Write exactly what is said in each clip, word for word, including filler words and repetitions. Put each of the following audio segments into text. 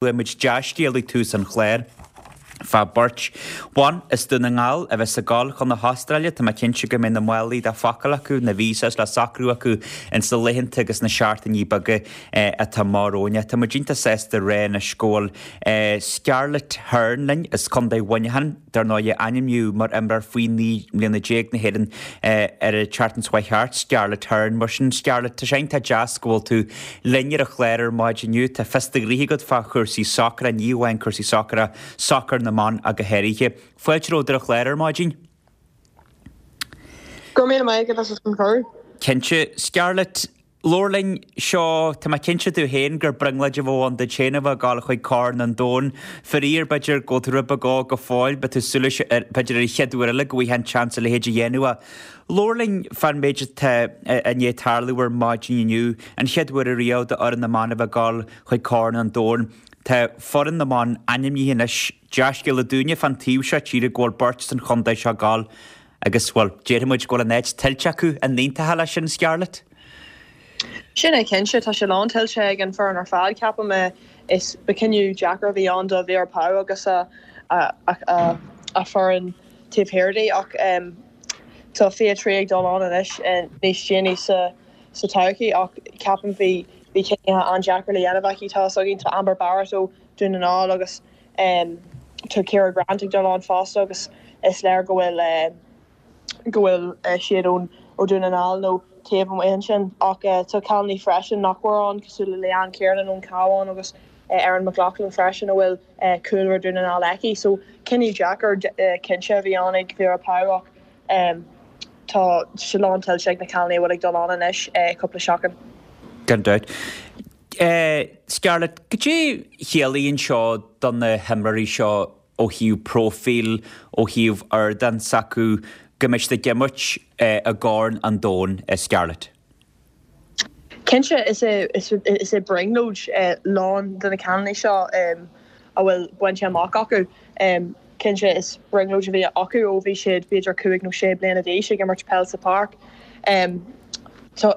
Muid dea-scéal ag tús an chláir fá beirt bhan as Dún na nGall a bheas ag gabháil chun na hAstráile. Tá mé cinnte go mbeidh na málaí le pacáil acu, na visas le socrú acu ins na laethanta agus na seachtainí beaga atá amach romhainn. Tá muid iontach sásta a rá anois go bhfuil Scarlett Hearn linn as Contae Mhuineacháin. Dar ndóigh, ainmníodh mar imreoir faoi naoi mbliana déag na hÉireann ar an tseachtain seo thart, Scarlett Hearn. Mar sin, Scarlett, tá sé iontach deas go bhfuil tú linn ar an chlár ar maidin inniu. Tá fios do ghnoithe agat fá chúrsaí sacair, ní amháin cúrsaí sacair ach sacar na mban ach go háirithe. Fáilte romhat ar an chlár ar maidin. Go raibh míle maith agat as an cuireadh. Cinnte, Scarlett, labhair linn, seo, tá mé cinnte tú féin gur brionglóid a bheadh ann duit féin a bheith ag gabháil chuig Corn an Domhain. Faraor, b'fhéidir go bhfuil tú rud beag óg go fóill, beidh tú ag súil leis, b'fhéidir ar an chéad uair eile go bhfaighfeá an seans a leithéid a dhéanamh. Ach labhair linn fán méid atá i ndiaidh tarlú ar maidin inniu, an chéad uair ariamh d'fhoireann na mban a bheith ag gabháil chuig Corn an Domhain. Tá foireann na mban ainmnithe anois, dea-scéala dúinne fán taobh seo tíre go bhfuil beirt as an chontae seo ag gabháil agus, bhuel, déarfaidh muid go bhfuil an áit tuillte acu, an n-aontófá leis sin, Scarlett? Sin é cinnte, tá sé lán tuillte ag an foireann ar fad, ceapaim. Is ba cinneadh deacair a bhí ann do Vera Pauw agus a a foireann taobh thiar di ach tá fiche trí ag dul ann anois níos déanaí sa sa todhchaí ach ceapaim bhí bhí cinneadh an-deacair le dhéanamh aici. Tá a fhios againn tá Amber Barrett ó Dún na nGall agus tá Ciara Grant ag dul ann fosta agus is léir go bhfuil go bhfuil siad ón ó Dún na nGall nó taobh amuigh ansin ach tá cailíní freisin nach bhfuil ann cosúil le Leanne Kiernan ón Cabhán agus Erin McLaughlin freisin a bhfuil cúlra Dún na nGall aici. So cinneadh deacair cinnte a bhí ann ag Vera Pauw ach tá sé lán tuillte ag na cailíní a bhfuil ag dul ann anois cúpla seachtain. Gan dabht. Scarlett, cad é chiallaíonn seo do na himreoirí seo ó thaobh próifíl, ó thaobh ardán s'acu, go mbeidh siad ag imirt i gCorn an Domhain, Scarlett? Cinnte, is é is é brionglóid lán de na cailíní seo a bhfuil bainte amach acu. Cinnte, is brionglóid a bhí acu ó bhí siad b'fhéidir cúig nó sé bliana d'aois ag imirt peil sa pháirc.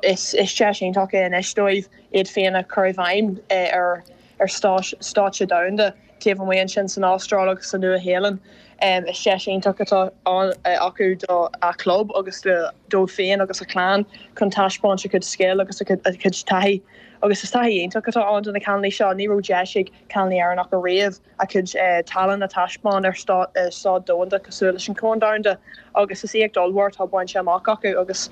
Is is deis iontach é anois dóibh iad féin a chur i bhfeidhm ar ar stáitse domhanda taobh amuigh ansin san Astráil agus sa Nua-Shéalainn. Is deis iontach atá ann acu do a club agus dóibh féin agus a clann chun taispeáint a cuid scil agus a cuid taithí. Agus is taithí iontach atá ann do na cailíní seo. Ní raibh deis ag cailíní Éireannacha riamh a cuid tallann a taispeáint ar stáid domhanda cosúil leis an Chorn Domhanda agus is éacht ollmhór atá bainte amach acu agus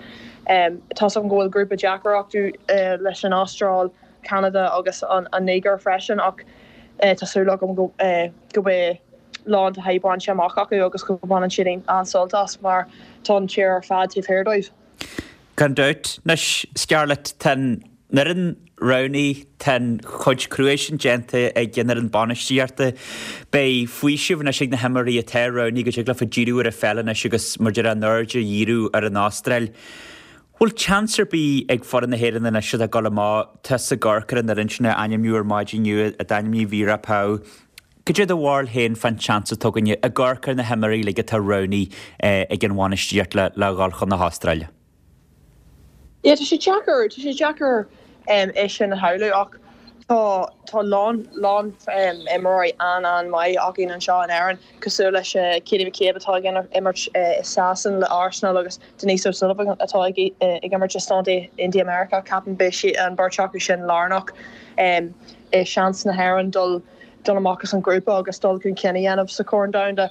tá 's agam go bhfuil grúpa deacair acu leis an Astráil, Ceanada agus an Nigéir freisin ach tá súil agam go go mbeidh lán taithí bainte amach acu agus go mbaineann siad an-sult as mar tá an tír ar fad taobh thiar dóibh. Gan dabht. Anois, Scarlett, tá an fhoireann roghnaithe, tá an chuid crua sin déanta ag an fhoireann bainistíochta. Beidh faoiseamh anois ag na himreoirí atá roghnaithe go dtig leofa díriú ar an pheil anois agus mar a déarfá an aird a dhíriú ar an Astráil. Bhfuil seans ar bith ag foireann na hÉireann anois atá ag dul amach, tusa ag amharc ar an fhoireann sin a ainmniú ar maidin inniu, a d'ainmnigh Vera Pauw. Cad é do bharúil féin fán tseans atá againne ag amharc ar na himreoirí uilig atá roghnaithe ag an bhainistíocht le le dhul chun na hAstráile? Yeah, tá sé deacair, tá sé deacair é sin a shamhlú ach tá tá lán lán imreoirí an-an-mhaith againn anseo in Éirinn cosúil leis Katie McCabe atá ag imirt i Sasana le Arsenal agus Denise O'Sullivan atá ag ag imirt i Stáit Aontaithe Meiriceá ceapaim beidh sí an bheirt acu sin lárnach i seans na hÉireann dul dul amach as an grúpa agus dul chun cinn a dhéanamh sa Chorn Domhanda.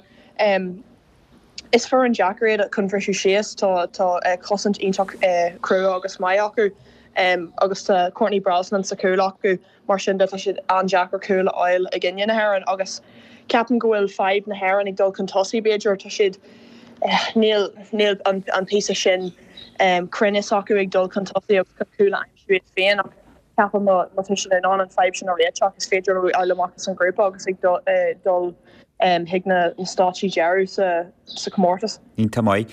Is foireann deacair iad chun briseadh síos, tá tá cosaint iontach crua agus maith acu agus tá Courtney Brosnan sa chúl acu mar sin de tá siad an-deacair cúl a fháil i gcoinne na hÉireann agus ceapaim go bhfuil fadhb na hÉireann ag dul chun tosaigh b'fhéidir tá siad níl níl an an píosa sin cruinneas acu ag dul chun tosaigh agus chun cúl a aimsiú iad féin ach ceapaim má má tá siad in ann an fadhb sin a réiteach is féidir leo dul amach as an grúpa agus ag dul chuig na stáitsí deiridh sa sa chomórtas. Iontach maith.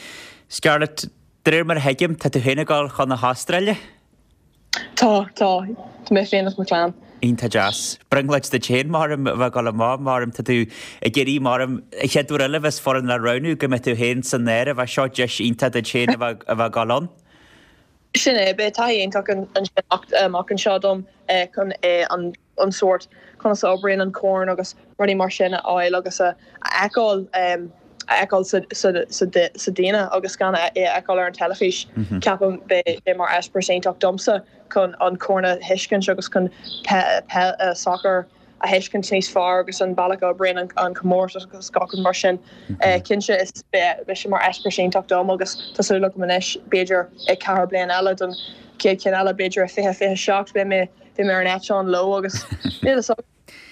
Scarlett, de réir mar a thuigim, tá tú féin ag dul chun na hAstráile? Tá, tá. Tá mé féin agus mo chlann. Iontach deas. Brionglóid duit féin maram a bheith ag dul amach, maram tá tú ag iarraidh maram an chéad uair eile a bheas foireann le roghnú go mbeidh tú féin san áireamh. Seo deis iontach duit féin a bheith a bheith ag dul ann. Sin é beidh taithí iontach ansin amach anseo dom chun an an sórt conas a oibríonn an corn agus rudaí mar sin a fháil agus a fheiceáil a fheiceáil sa daoine agus gan é a fheiceáil ar an teilifís. Ceapaim beidh sé mar eispéireas iontach domsa chun an corn a thuiscint agus chun sacar a thuiscint níos fearr agus an bealach a oibríonn an comórtas agus gach rud mar sin. Cinnte is beidh sé mar eispéireas iontach dom agus tá súil agam anois b'fhéidir i ceathair bliain eile don chéad cheann eile b'fhéidir i fiche fiche seacht beidh mé beidh mé ar an eitleán leo agus níl a fhios agam.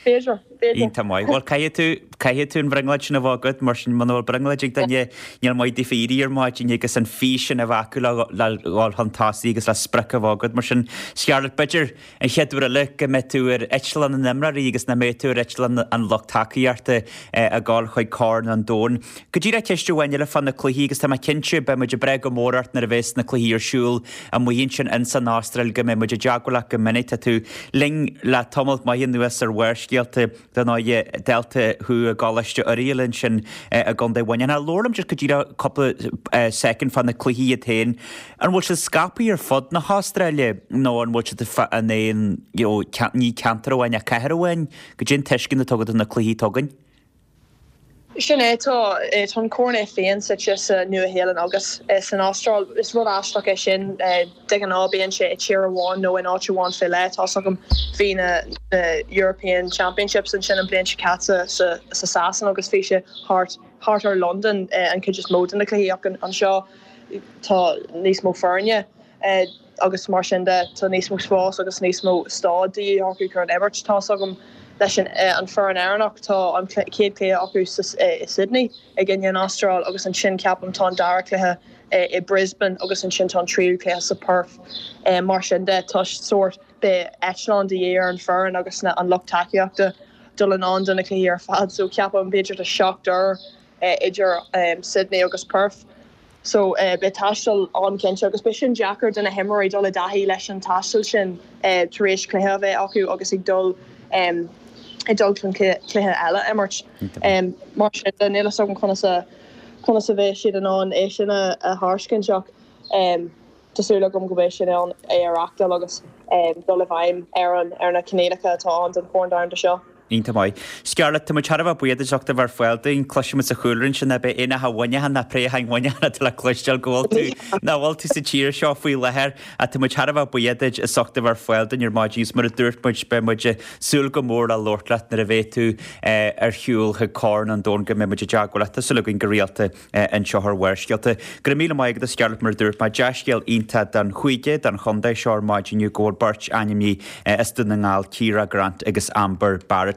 B'fhéidir, b'fhéidir. Iontach maith. Bhuel caithfidh tú, caithfidh tú an bhrionglóid sin a bheith agat mar sin muna bhfuil brionglóid ag duine níl maith daofa éirí ar maidin agus an fís sin a bheith acu le le dhul chun tosaigh agus le sprioc a bheith agat mar sin Scarlett b'fhéidir an chéad uair eile go mbeidh tú ar eitleán na n-imreoirí agus nach mbeidh tú ar eitleán an lucht tacaíochta ag gabháil chuig Corn an Domhain. Go díreach ceist amháin eile fá na cluichí agus tá mé cinnte beidh muid ag brath go mór ort nuair a bheas na cluichí ar siúl amuigh ansin in san Astráil go mbeidh muid i dteagmháil leat go minic. Tá tú linn le tamall maith anuas ar Bharrscéalta dar ndóigh dalta thú i gColáiste Oiriall ansin i gContae Mhuineacháin. Labhair liom just go díreach cúpla soicind fá na cluichí iad féin. An bhfuil siad scaipthe ar fud na hAstráile nó an bhfuil siad in aon you know, ní ceantar amháin ach cathair amháin? Goidé an tuiscint atá agat ar na cluichí atá againn? Sin é tá tá an corn é féin suite sa Nua-Shéalainn agus san Astráil. Is rud aisteach é sin de ghnáth bíonn sé i tír amháin nó in áit amháin fé leith. Tá agam bhí na European Championships ansin an bliain seo caite sa sa Sasan agus bhí sé thart thart ar London an chuid is mó de na cluichí ach anseo tá níos mó foirne agus mar sin de tá níos mó spás agus níos mó staid de dhíth acu chun imirt. Tá agam leis an an foireann Éireannach tá an chéad cluiche acu i Sydney ag in an Astráil agus ansin ceapaim tá an dara cluiche i Brisbane agus ansin tá an tríú cluiche sa Perth mar sin de tá sórt beidh eitleán de dhíth ar an foireann agus na an lucht tacaíochta dul anonn do na cluichí ar fad so ceapaim b'fhéidir tá seacht uair idir Sydney agus Perth. So uh, beidh taisteal an-chinnte agus beidh sin deacair do na himreoirí dul i dtaithí leis an taisteal sin uh, tar éis cluiche a bheith acu agus ag dul um, ag dul chun cluiche eile imirt. Um, mar sin de níl a fhios agam conas a conas a bheidh siad in ann é sin a, a thairiscint ach um, tá súil agam go mbeidh sin ann é a reáchtáil agus um, dul i bhfeidhm ar an ar na coinníollacha atá ann don Chorn Domhanda seo. Iontach maith. Scarlett, tá muid thar a bheith buíoch as ucht a bheith ar fáil dúinn, cloisimid sa chúlra ansin ná beidh aon bhuineachan ná préacháin bhuineachan atá le cloisteáil go bhfuil tú ná bhfuil tú sa tír seo faoi láthair ach tá muid thar a bheith buíoch duit as ucht a bheith ar fáil dúinn ar maidin agus mar a dúirt muid beidh muid ag súil go mór le labhairt leat nuair a bheidh tú ar shiúl chuig Corn an Domhain go mbeidh muid i dteagmháil leat. Tá súil againn go rialta anseo ar Bharrscéalta. Go raibh míle maith agat a Scarlett mar a dúirt mé dea-scéal iontach don chúige don chontae seo ar maidin inniu go bhfuil beirt ainmnithe as Dún na nGall Ciara Grant agus Amber Barrett.